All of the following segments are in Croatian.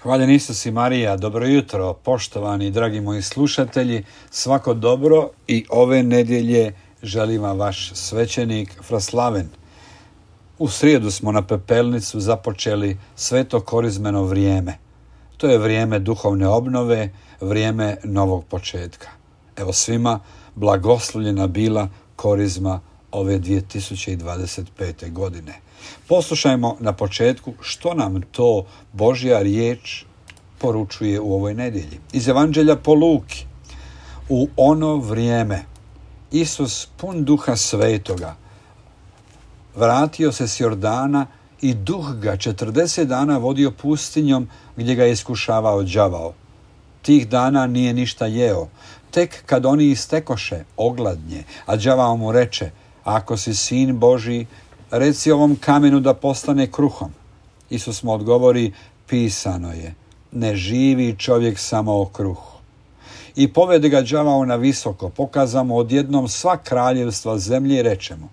Hvaljen Isus i Marija, dobro jutro, poštovani dragi moji slušatelji, svako dobro i ove nedjelje želim vam vaš svećenik Fraslaven. U srijedu smo na Pepelnicu započeli sveto korizmeno vrijeme. To je vrijeme duhovne obnove, vrijeme novog početka. Evo svima blagoslovljena bila korizma ove 2025. godine. Poslušajmo na početku što nam to Božja riječ poručuje u ovoj nedjelji. Iz Evanđelja po Luki. U ono vrijeme Isus pun Duha Svetoga vratio se s Jordana i Duh ga 40 dana vodio pustinjom gdje ga je iskušavao đavao. Tih dana nije ništa jeo. Tek kad oni istekoše, ogladnje, a đavao mu reče: ako si sin Božji, reci ovom kamenu da postane kruhom. Isus mu odgovori: pisano je, ne živi čovjek samo o kruhu. I povede ga đavao na visoko, pokaza mu odjednom sva kraljevstva zemlje i reče mu: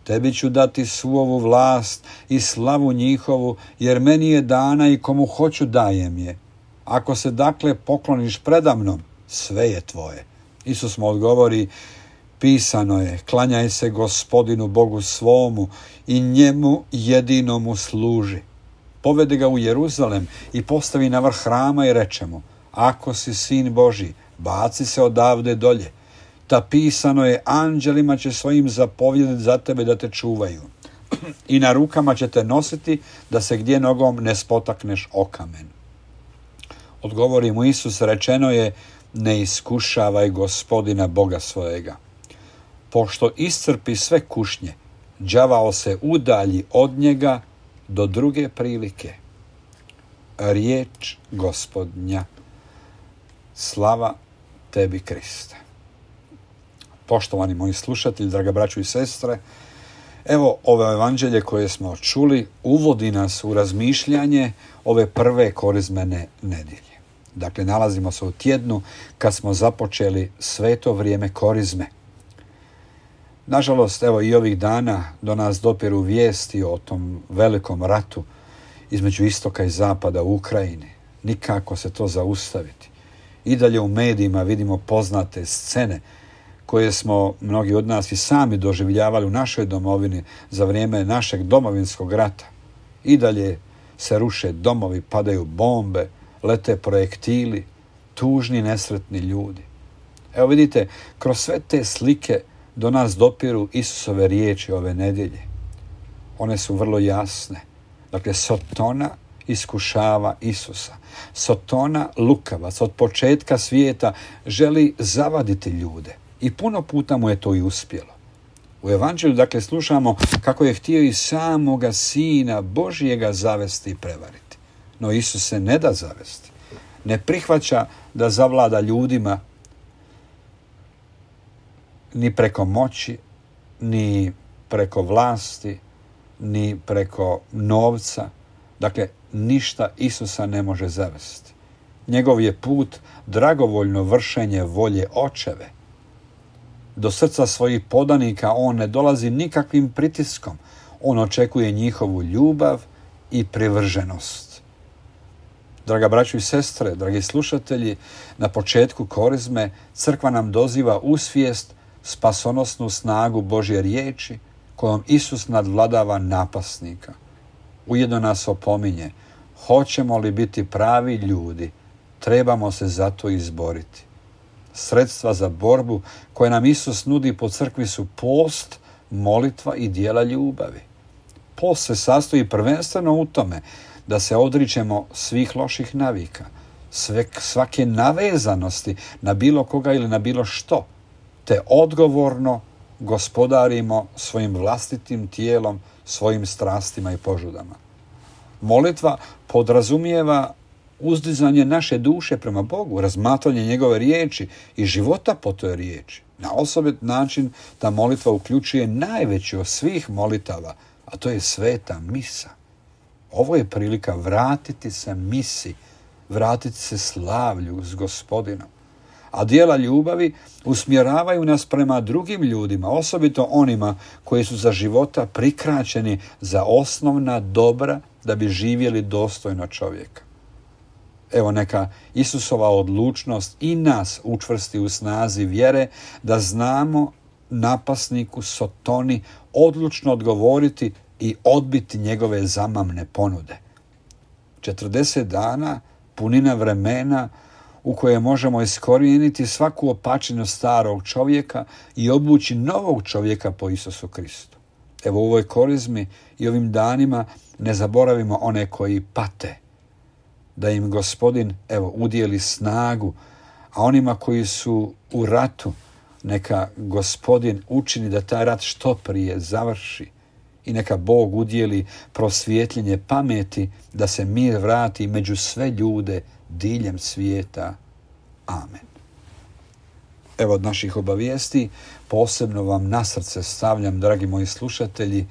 tebi ću dati svu ovu vlast i slavu njihovu, jer meni je dana i komu hoću dajem je. Ako se dakle pokloniš predamnom, sve je tvoje. Isus mu odgovori: pisano je, klanjaj se Gospodinu Bogu svomu i njemu jedinomu služi. Povede ga u Jeruzalem i postavi na vrh hrama i reče mu: ako si sin Božji, baci se odavde dolje. Ta pisano je, anđelima će svojim zapovjediti za tebe da te čuvaju. I na rukama će te nositi da se gdje nogom ne spotakneš o kamen. Odgovori mu Isus, rečeno je: ne iskušavaj Gospodina Boga svojega. Pošto iscrpi sve kušnje, đavao se udalji od njega do druge prilike. Riječ Gospodnja. Slava tebi, Kriste. Poštovani moji slušatelji, draga braćo i sestre, evo ovo evanđelje koje smo čuli uvodi nas u razmišljanje ove prve korizmene nedjelje. Dakle, nalazimo se u tjednu kad smo započeli sveto vrijeme korizme. Nažalost, evo i ovih dana do nas dopiru vijesti o tom velikom ratu između istoka i zapada u Ukrajini. Nikako se to zaustaviti. I dalje u medijima vidimo poznate scene koje smo mnogi od nas i sami doživljavali u našoj domovini za vrijeme našeg domovinskog rata. I dalje se ruše domovi, padaju bombe, lete projektili, tužni, nesretni ljudi. Evo vidite, kroz sve te slike do nas dopiru Isusove riječi ove nedjelje. One su vrlo jasne. Dakle, Sotona iskušava Isusa. Sotona, lukavac, od početka svijeta želi zavaditi ljude. I puno puta mu je to i uspjelo. U Evanđelju, dakle, slušamo kako je htio i samoga Sina Božjega zavesti i prevariti. No Isus se ne da zavesti. Ne prihvaća da zavlada ljudima ni preko moći, ni preko vlasti, ni preko novca. Dakle, ništa Isusa ne može zavesti. Njegov je put dragovoljno vršenje volje Očeve. Do srca svojih podanika on ne dolazi nikakvim pritiskom. On očekuje njihovu ljubav i privrženost. Draga braćo i sestre, dragi slušatelji, na početku korizme crkva nam doziva u svijest spasonosnu snagu Božje riječi kojom Isus nadvladava napasnika. Ujedno nas opominje: hoćemo li biti pravi ljudi, trebamo se za to izboriti. Sredstva za borbu koje nam Isus nudi po crkvi su post, molitva i djela ljubavi. Post se sastoji prvenstveno u tome da se odričemo svih loših navika, svake navezanosti na bilo koga ili na bilo što, te odgovorno gospodarimo svojim vlastitim tijelom, svojim strastima i požudama. Molitva podrazumijeva uzdizanje naše duše prema Bogu, razmatranje njegove riječi i života po toj riječi. Na osobit način ta molitva uključuje najveću od svih molitava, a to je sveta misa. Ovo je prilika vratiti se misi, vratiti se slavlju s Gospodinom. A djela ljubavi usmjeravaju nas prema drugim ljudima, osobito onima koji su za života prikraćeni za osnovna dobra da bi živjeli dostojno čovjeka. Evo neka Isusova odlučnost i nas učvrsti u snazi vjere da znamo napasniku Sotoni odlučno odgovoriti i odbiti njegove zamamne ponude. 40 dana, punina vremena u koje možemo iskorijeniti svaku opačinu starog čovjeka i obući novog čovjeka po Isusu Kristu. Evo u ovoj korizmi i ovim danima ne zaboravimo one koji pate, da im Gospodin udijeli snagu, a onima koji su u ratu neka Gospodin učini da taj rat što prije završi i neka Bog udijeli prosvjetljenje pameti da se mir vrati među sve ljude diljem svijeta. Amen. Evo od naših obavijesti posebno vam na srce stavljam, dragi moji slušatelji,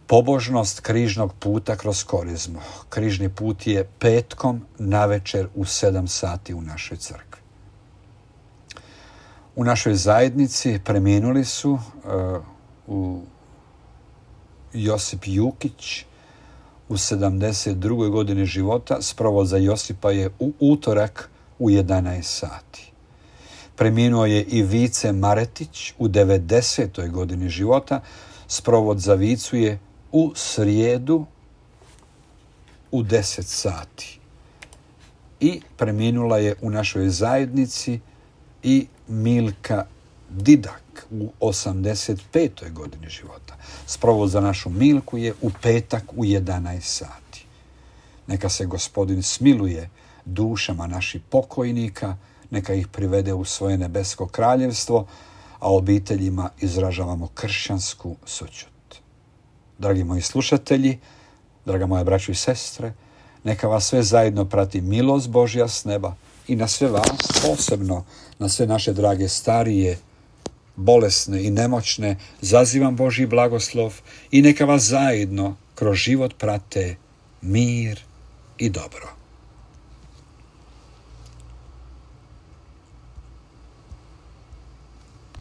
pobožnost križnog puta kroz korizmu. Križni put je petkom navečer u 7 sati u našoj crkvi. U našoj zajednici preminuli su Josip Jukić u 72. godini života. Sprovod za Josipa je u utorak u 11 sati. Preminuo je i Vice Maretić u 90. godini života. Sprovod za Vicu je u srijedu u 10 sati. I preminula je u našoj zajednici i Milka Didak u 85. godini života. Sprovod za našu Milku je u petak u 11 sati. Neka se Gospodin smiluje dušama naših pokojnika, neka ih privede u svoje nebesko kraljevstvo, a obiteljima izražavamo kršćansku sućut. Dragi moji slušatelji, draga moja braćo i sestre, neka vas sve zajedno prati milost Božja s neba i na sve vas, posebno na sve naše drage starije, bolesne i nemoćne, zazivam Božji blagoslov i neka vas zajedno kroz život prate mir i dobro.